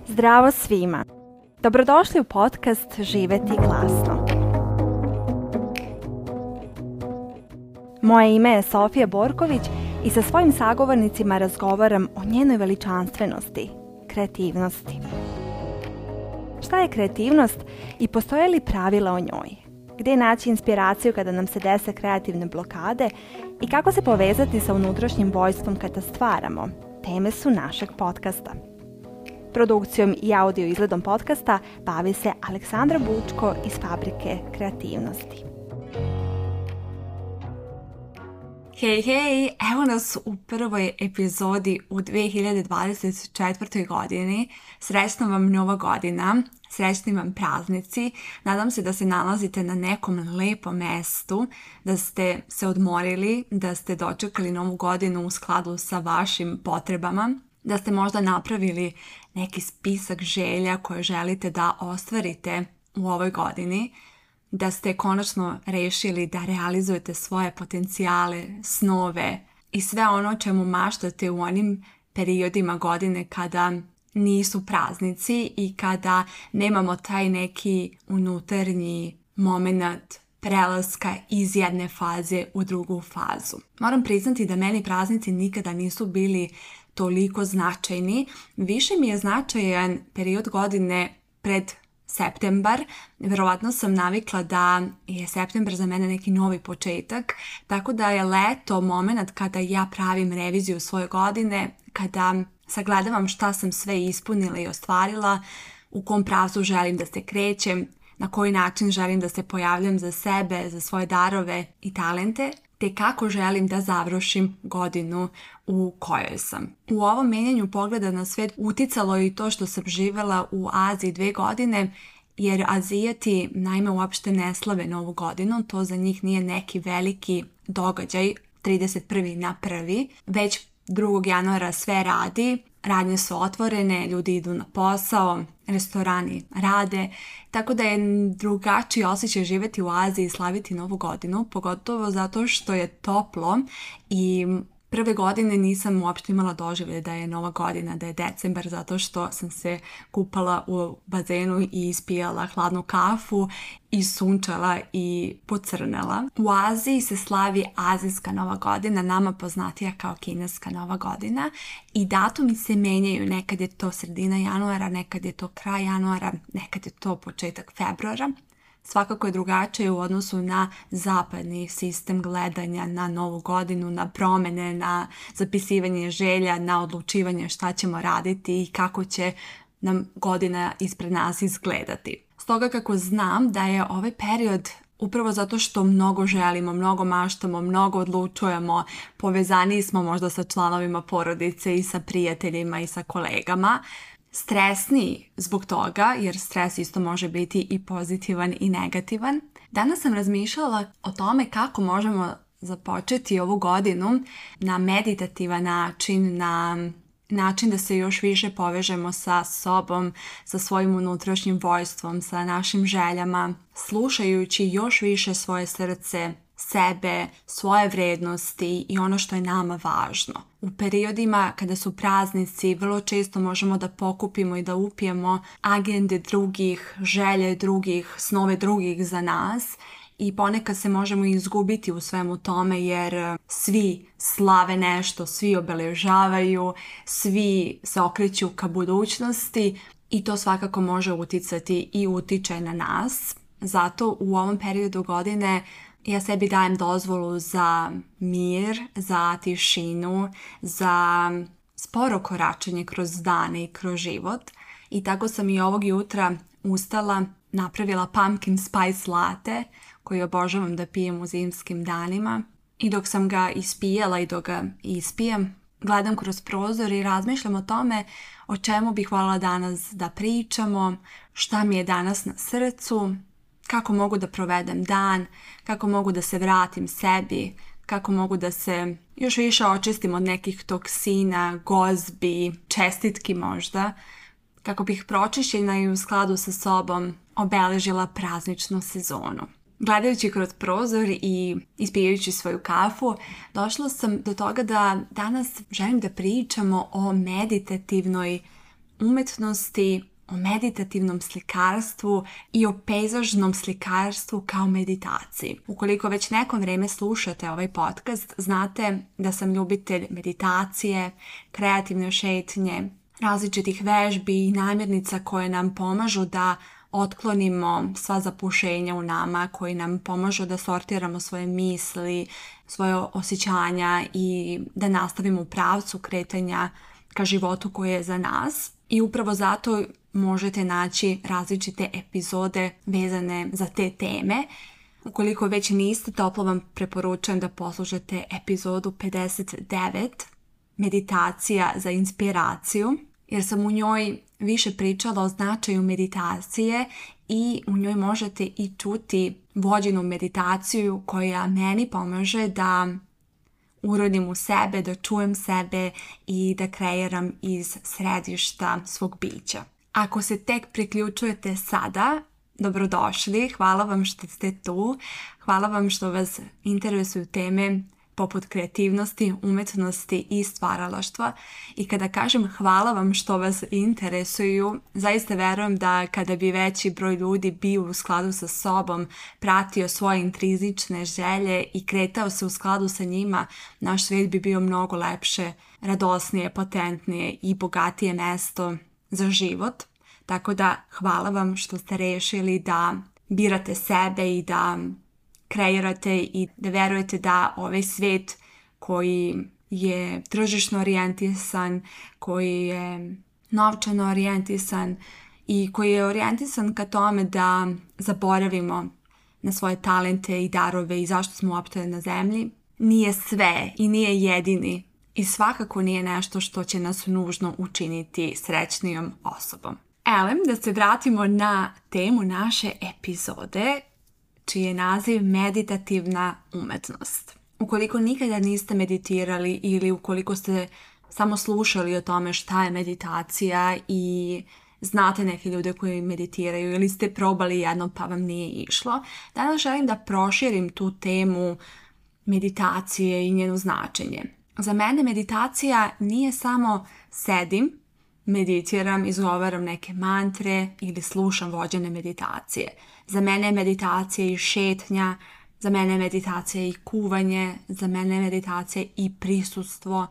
Zdravo svima! Dobrodošli u podcast Živeti glasno. Moje ime je Sofija Borković i sa svojim sagovornicima razgovaram o njenoj veličanstvenosti, kreativnosti. Šta je kreativnost i postoje li pravila o njoj? Gdje naći inspiraciju kada nam se dese kreativne blokade i kako se povezati sa unutrašnjim vojstvom kada stvaramo? Teme su našeg podcasta. Produkcijom i audio izgledom podcasta bavi se Aleksandra Bučko iz Fabrike kreativnosti. Hej, evo nas u prvoj epizodi u 2024. godini. Srećna vam nova godina, srećni vam praznici. Nadam se da se nalazite na nekom lepom mestu, da ste se odmorili, da ste dočekali novu godinu u skladu sa vašim potrebama, da ste možda napravili neki spisak želja koje želite da ostvarite u ovoj godini, da ste konačno rešili da realizujete svoje potencijale, snove i sve ono čemu maštate u onim periodima godine kada nisu praznici i kada nemamo taj neki unutarnji moment prelaska iz jedne faze u drugu fazu. Moram priznati da meni praznici nikada nisu bili toliko značajni. Više mi je značajan period godine pred septembar. Verovatno sam navikla da je septembar za mene neki novi početak, tako da je leto moment kada ja pravim reviziju svoje godine, kada sagledavam šta sam sve ispunila i ostvarila, u kom pravcu želim da se krećem, na koji način želim da se pojavljam za sebe, za svoje darove i talente, te kako želim da završim godinu u kojoj sam. U ovom menjanju pogleda na svijet uticalo i to što sam živjela u Aziji 2 godine, jer Azijati naime uopšte ne slave novu godinu, to za njih nije neki veliki događaj 31. na 1. Već 2. januara sve radi, radnje su otvorene, ljudi idu na posao, restorani rade, tako da je drugačiji osjećaj živjeti u Aziji i slaviti novu godinu, pogotovo zato što je toplo i prve godine nisam uopšte imala doživlje da je nova godina, da je decembar, zato što sam se kupala u bazenu i ispijala hladnu kafu i sunčala i pocrnela. U Aziji se slavi azijska nova godina, nama poznatija kao kineska nova godina, i datumi se menjaju. Nekad je to sredina januara, nekad je to kraj januara, nekad je to početak februara. Svakako je drugačije u odnosu na zapadni sistem gledanja na novu godinu, na promjene, na zapisivanje želja, na odlučivanje šta ćemo raditi i kako će nam godina ispred nas izgledati. Stoga kako znam da je ovaj period, upravo zato što mnogo želimo, mnogo maštamo, mnogo odlučujemo, povezani smo možda sa članovima porodice i sa prijateljima i sa kolegama, stresni zbog toga, jer stres isto može biti i pozitivan i negativan. Danas sam razmišljala o tome kako možemo započeti ovu godinu na meditativan način, na način da se još više povežemo sa sobom, sa svojim unutrašnjim vojstvom, sa našim željama, slušajući još više svoje srce, sebe, svoje vrednosti i ono što je nama važno. U periodima kada su praznici vrlo često možemo da pokupimo i da upijemo agende drugih, želje drugih, snove drugih za nas i ponekad se možemo izgubiti u svemu tome jer svi slave nešto, svi obeležavaju, svi se okreću ka budućnosti i to svakako može uticati i utiče na nas. Zato u ovom periodu godine ja sebi dajem dozvolu za mir, za tišinu, za sporo koračenje kroz dane i kroz život. I tako sam i ovog jutra ustala, napravila pumpkin spice latte koji obožavam da pijem u zimskim danima. I dok sam ga ispijala i dok ga ispijem, gledam kroz prozor i razmišljam o tome o čemu bih voljela danas da pričamo, šta mi je danas na srcu, kako mogu da provedem dan, kako mogu da se vratim sebi, kako mogu da se još više očistim od nekih toksina, gozbi, čestitki možda, kako bih pročišćena i u skladu sa sobom obeležila prazničnu sezonu. Gledajući kroz prozor i ispijajući svoju kafu, došla sam do toga da danas želim da pričamo o meditativnoj umetnosti, o meditativnom slikarstvu i o pejzažnom slikarstvu kao meditaciji. Ukoliko već neko vrijeme slušate ovaj podcast, znate da sam ljubitelj meditacije, kreativne šetnje, različitih vežbi i namirnica koje nam pomažu da otklonimo sva zapušenja u nama, koji nam pomažu da sortiramo svoje misli, svoje osjećanja i da nastavimo u pravcu kretanja ka životu koji je za nas. I upravo zato možete naći različite epizode vezane za te teme. Ukoliko već niste, toplo vam preporučujem da poslušate epizodu 59, Meditacija za inspiraciju, jer sam u njoj više pričala o značaju meditacije i u njoj možete i čuti vođenu meditaciju koja meni pomaže da urodim u sebe, da čujem sebe i da kreiram iz središta svog bića. Ako se tek priključujete sada, dobrodošli, hvala vam što ste tu, hvala vam što vas interesuju teme poput kreativnosti, umetnosti i stvaralaštva. I kada kažem hvala vam što vas interesuju, zaista verujem da kada bi veći broj ljudi bio u skladu sa sobom, pratio svoje intrinzične želje i kretao se u skladu sa njima, naš svijet bi bio mnogo lepše, radosnije, potentnije i bogatije mesto za život. Tako da hvala vam što ste rešili da birate sebe i da kreirate i da verujete da ovaj svijet koji je tržišno orijentisan, koji je novčano orijentisan i koji je orijentisan ka tome da zaboravimo na svoje talente i darove i zašto smo uopšte na zemlji, nije sve i nije jedini i svakako nije nešto što će nas nužno učiniti srećnijom osobom. Da se vratimo na temu naše epizode, čiji je naziv meditativna umetnost. Ukoliko nikada niste meditirali ili ukoliko ste samo slušali o tome šta je meditacija i znate neke ljude koji meditiraju ili ste probali jedno pa vam nije išlo, danas želim da proširim tu temu meditacije i njeno značenje. Za mene meditacija nije samo sedim, meditiram, izgovaram neke mantre ili slušam vođene meditacije. Za mene je meditacija i šetnja, za mene je meditacija i kuvanje, za mene je meditacija i prisustvo,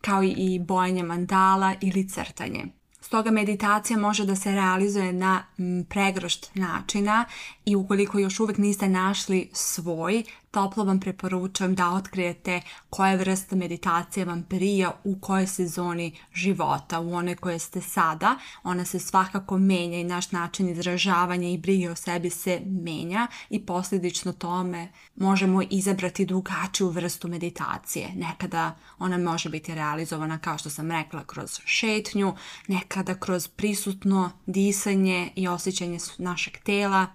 kao i bojanje mandala ili crtanje. Stoga meditacija može da se realizuje na pregršt načina i ukoliko još uvijek niste našli svoj, toplo vam preporučujem da otkrijete koja vrsta meditacije vam prija u kojoj sezoni života, u onoj koje ste sada. Ona se svakako menja i naš način izražavanja i brige o sebi se menja i posljedično tome možemo izabrati drugačiju vrstu meditacije. Nekada ona može biti realizovana, kao što sam rekla, kroz šetnju, nekada kroz prisutno disanje i osjećanje našeg tela,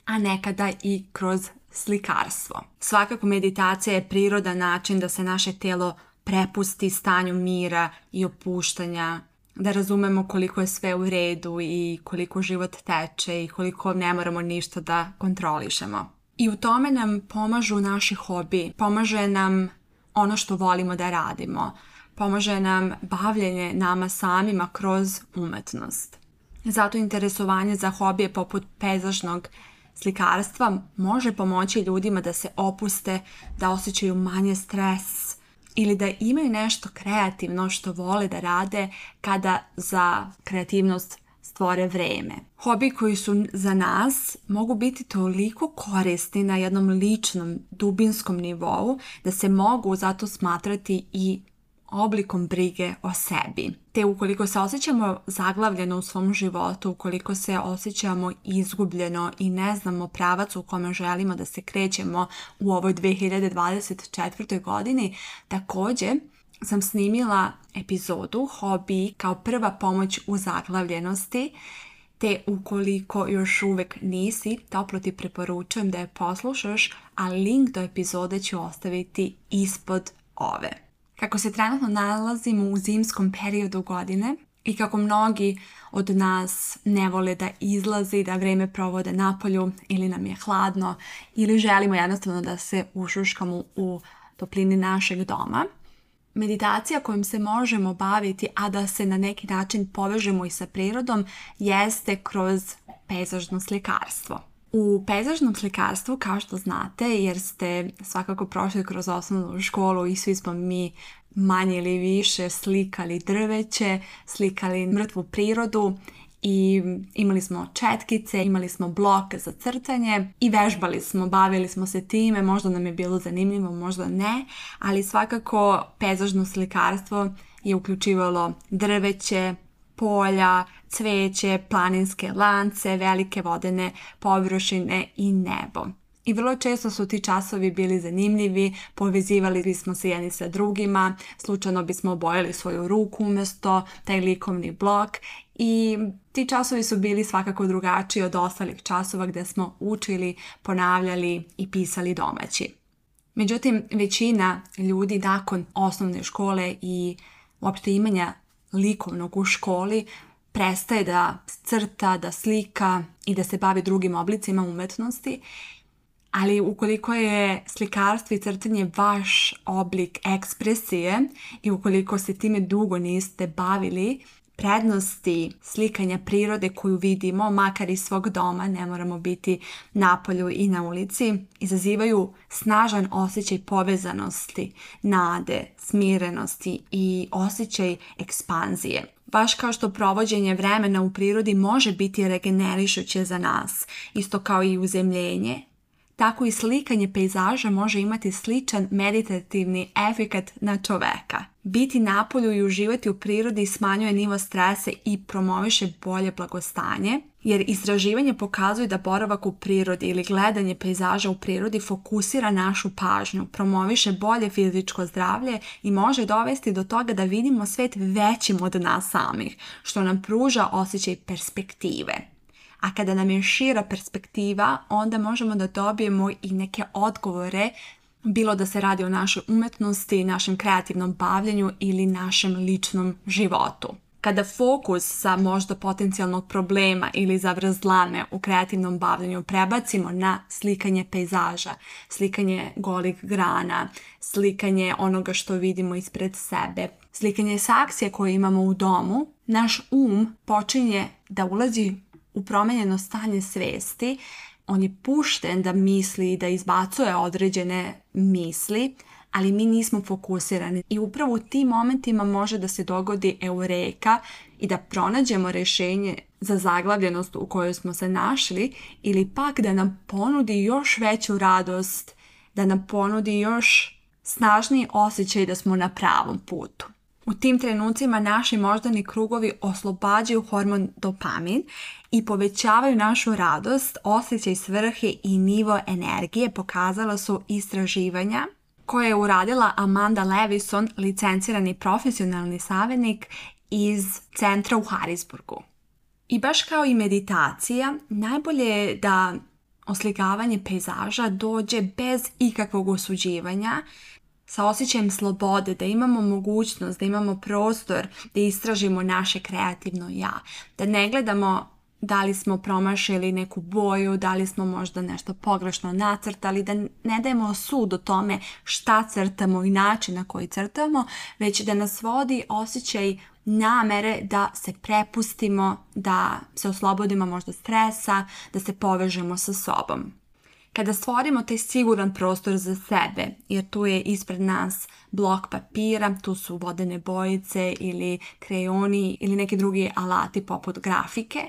a nekada i kroz slikarstvo. Svakako meditacija je prirodan način da se naše tijelo prepusti stanju mira i opuštanja, da razumemo koliko je sve u redu i koliko život teče i koliko ne moramo ništa da kontrolišemo. I u tome nam pomažu naši hobi, pomaže nam ono što volimo da radimo, pomaže nam bavljenje nama samima kroz umetnost. Zato interesovanje za hobije poput pejzažnog slikarstva može pomoći ljudima da se opuste, da osjećaju manje stres ili da imaju nešto kreativno što vole da rade kada za kreativnost stvore vreme. Hobi koji su za nas mogu biti toliko korisni na jednom ličnom, dubinskom nivou da se mogu zato smatrati i oblikom brige o sebi. Te ukoliko se osjećamo zaglavljeno u svom životu, ukoliko se osjećamo izgubljeno i ne znamo pravac u kome želimo da se krećemo u ovoj 2024. godini, također sam snimila epizodu Hobi kao prva pomoć u zaglavljenosti, te ukoliko još uvijek nisi, toplo ti preporučujem da je poslušaš, a link do epizode ću ostaviti ispod ove. Kako se trenutno nalazimo u zimskom periodu godine I kako mnogi od nas ne vole da izlazi, da vreme provode napolju ili nam je hladno ili želimo jednostavno da se ušuškamo u toplini našeg doma, meditacija kojom se možemo baviti, a da se na neki način povežemo i sa prirodom, jeste kroz pejzažno slikarstvo. U pejzažnom slikarstvu, kao što znate, jer ste svakako prošli kroz osnovnu školu i svi smo mi manje ili više slikali drveće, slikali mrtvu prirodu i imali smo četkice, imali smo blok za crtanje i vežbali smo, bavili smo se time, možda nam je bilo zanimljivo, možda ne, ali svakako pejzažno slikarstvo je uključivalo drveće, polja, cveće, planinske lance, velike vodene površine i nebo. I vrlo često su ti časovi bili zanimljivi, povezivali bismo se jedni sa drugima, slučajno bismo obojali svoju ruku umjesto taj likovni blok i ti časovi su bili svakako drugačiji od ostalih časova gdje smo učili, ponavljali i pisali domaći. Međutim, većina ljudi nakon osnovne škole i uopšte imanja likovnog u školi prestaje da crta, da slika i da se bavi drugim oblicima umetnosti. Ali ukoliko je slikarstvo i crtanje vaš oblik ekspresije i ukoliko se time dugo niste bavili, prednosti slikanja prirode koju vidimo, makar iz svog doma, ne moramo biti napolju i na ulici, izazivaju snažan osjećaj povezanosti, nade, smirenosti i osjećaj ekspanzije. Baš kao što provođenje vremena u prirodi može biti regenerišuće za nas, isto kao i uzemljenje, tako i slikanje pejzaža može imati sličan meditativni efekat na čoveka. Biti napolju i uživati u prirodi smanjuje nivo stresa i promoviše bolje blagostanje, jer istraživanje pokazuje da boravak u prirodi ili gledanje pejzaža u prirodi fokusira našu pažnju, promoviše bolje fizičko zdravlje i može dovesti do toga da vidimo svet većim od nas samih, što nam pruža osjećaj perspektive. A kada nam je šira perspektiva, onda možemo da dobijemo i neke odgovore, bilo da se radi o našoj umetnosti, našem kreativnom bavljenju ili našem ličnom životu. Kada fokus sa možda potencijalnog problema ili zavrzlame u kreativnom bavljenju prebacimo na slikanje pejzaža, slikanje golih grana, slikanje onoga što vidimo ispred sebe, slikanje saksije koje imamo u domu, naš počinje da ulazi u promenjeno stanje svesti. On je pušten da misli i da izbacuje određene misli, ali mi nismo fokusirani. I upravo u tim momentima može da se dogodi eureka i da pronađemo rješenje za zaglavljenost u kojoj smo se našli ili pak da nam ponudi još veću radost, da nam ponudi još snažniji osjećaj da smo na pravom putu. U tim trenucima naši moždani krugovi oslobađaju hormon dopamin i povećavaju našu radost, osjećaj svrhe i nivo energije, pokazala su istraživanja koje je uradila Amanda Levison, licencirani profesionalni savjetnik iz centra u Harrisburgu. I baš kao i meditacija, najbolje je da oslikavanje pejzaža dođe bez ikakvog osuđivanja, sa osjećajem slobode, da imamo mogućnost, da imamo prostor da istražimo naše kreativno ja, da ne gledamo da li smo promašili neku boju, da li smo možda nešto pogrešno nacrtali, da ne dajemo sud o tome šta crtamo i način na koji crtamo, već da nas vodi osjećaj namere da se prepustimo, da se oslobodimo možda stresa, da se povežemo sa sobom. Kada stvorimo taj siguran prostor za sebe, jer tu je ispred nas blok papira, tu su vodene bojice ili krejoni ili neki drugi alati poput grafike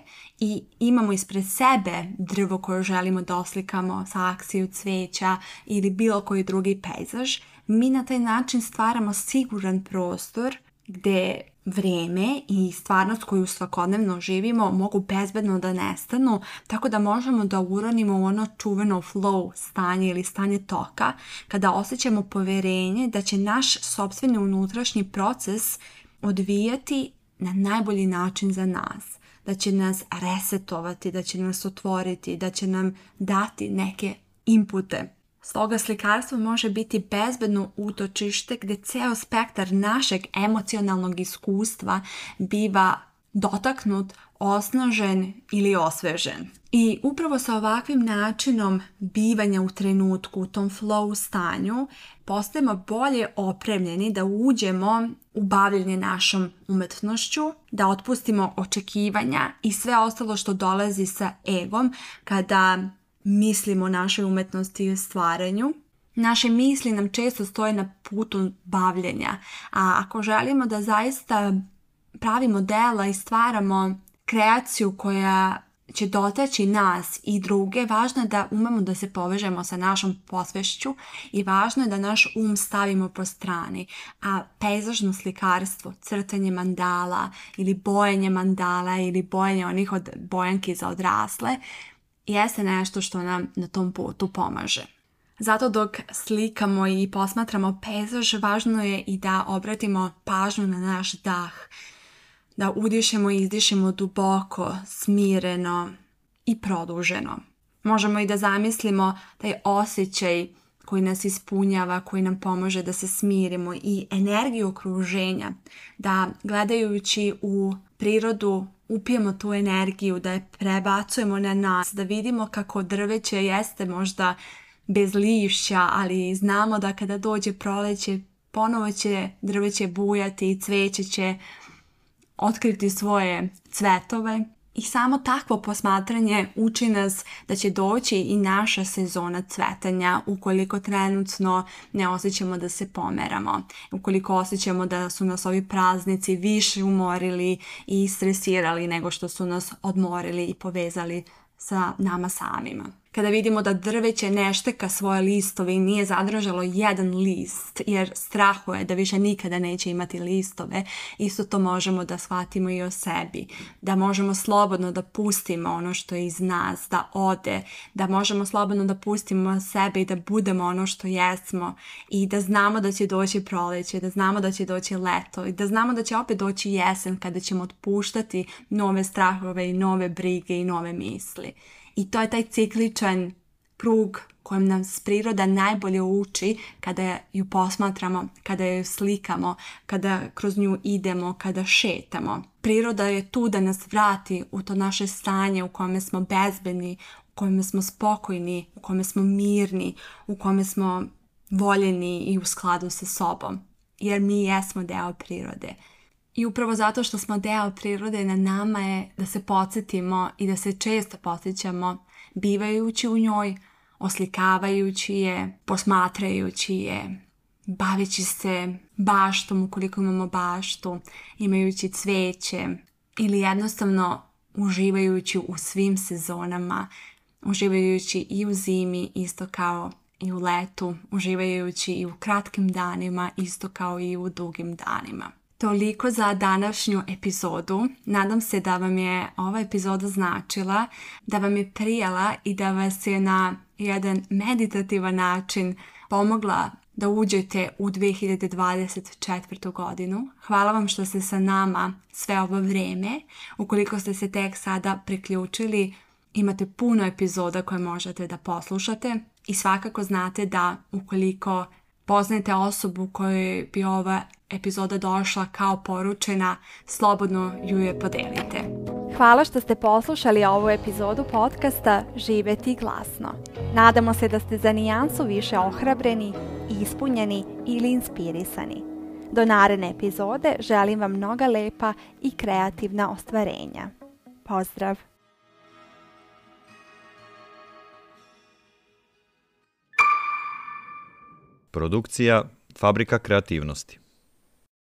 i imamo ispred sebe drvo koje želimo da oslikamo, saksiju, cveća ili bilo koji drugi pejzaž, mi na taj način stvaramo siguran prostor gdje vrijeme i stvarnost koju svakodnevno živimo mogu bezbedno da nestanu, tako da možemo da uronimo u ono čuveno flow stanje ili stanje toka, kada osjećamo poverenje da će naš sopstveni unutrašnji proces odvijati na najbolji način za nas, da će nas resetovati, da će nas otvoriti, da će nam dati neke inpute. Stoga slikarstvo može biti bezbedno utočište gdje ceo spektar našeg emocionalnog iskustva biva dotaknut, osnažen ili osvežen. I upravo sa ovakvim načinom bivanja u trenutku, u tom flow stanju, postajemo bolje opremljeni da uđemo u bavljenje našom umetnošću, da otpustimo očekivanja i sve ostalo što dolazi sa egom kada mislimo o našoj umetnosti i stvaranju. Naše misli nam često stoje na putu bavljenja, a ako želimo da zaista pravimo dela i stvaramo kreaciju koja će dotaći nas i druge, važno je da umemo da se povežemo sa našom posvešću i važno je da naš um stavimo po strani. A pejzažno slikarstvo, crtanje mandala ili bojanje mandala ili bojanje onih od bojanki za odrasle jeste nešto što nam na tom putu pomaže. Zato dok slikamo i posmatramo pejzaž, važno je i da obratimo pažnju na naš dah, da udišemo i izdišemo duboko, smireno i produženo. Možemo i da zamislimo taj osjećaj koji nas ispunjava, koji nam pomaže da se smirimo i energiju okruženja, da gledajući u prirodu upijemo tu energiju, da je prebacujemo na nas, da vidimo kako drveće jeste možda bez lišća, ali znamo da kada dođe proleće, ponovo će drveće bujati i cveće će otkriti svoje cvetove. I samo takvo posmatranje uči nas da će doći i naša sezona cvetanja ukoliko trenutno ne osjećamo da se pomeramo. Ukoliko osjećamo da su nas ovi praznici više umorili i stresirali nego što su nas odmorili i povezali sa nama samima. Kada vidimo da drveće ne šteka svoje listove i nije zadržalo jedan list jer strahuje da više nikada neće imati listove, isto to možemo da shvatimo i o sebi. Da možemo slobodno da pustimo ono što je iz nas, da ode, da možemo slobodno da pustimo sebe i da budemo ono što jesmo i da znamo da će doći proleće, da znamo da će doći leto i da znamo da će opet doći jesen kada ćemo otpuštati nove strahove i nove brige i nove misli. I to je taj cikličan krug kojem nas priroda najbolje uči kada ju posmatramo, kada ju slikamo, kada kroz nju idemo, kada šetamo. Priroda je tu da nas vrati u to naše stanje u kome smo bezbedni, u kome smo spokojni, u kome smo mirni, u kome smo voljeni i u skladu sa sobom. Jer mi jesmo deo prirode. I upravo zato što smo deo prirode, na nama je da se podsjetimo i da se često podsjećamo bivajući u njoj, oslikavajući je, posmatrajući je, baveći se baštom ukoliko imamo baštu, imajući cveće ili jednostavno uživajući u svim sezonama, uživajući i u zimi isto kao i u letu, uživajući i u kratkim danima isto kao i u dugim danima. Toliko za današnju epizodu. Nadam se da vam je ova epizoda značila, da vam je prijala i da vas je na jedan meditativan način pomogla da uđete u 2024. godinu. Hvala vam što ste sa nama sve ovo vrijeme. Ukoliko ste se tek sada priključili, imate puno epizoda koje možete da poslušate i svakako znate da ukoliko poznajete osobu kojoj bi ova epizoda došla kao poručena, slobodno ju je podelite. Hvala što ste poslušali ovu epizodu podcasta Živeti glasno. Nadamo se da ste za nijansu više ohrabreni, ispunjeni ili inspirisani. Do naredne epizode želim vam mnoga lepa i kreativna ostvarenja. Pozdrav! Produkcija Fabrika kreativnosti.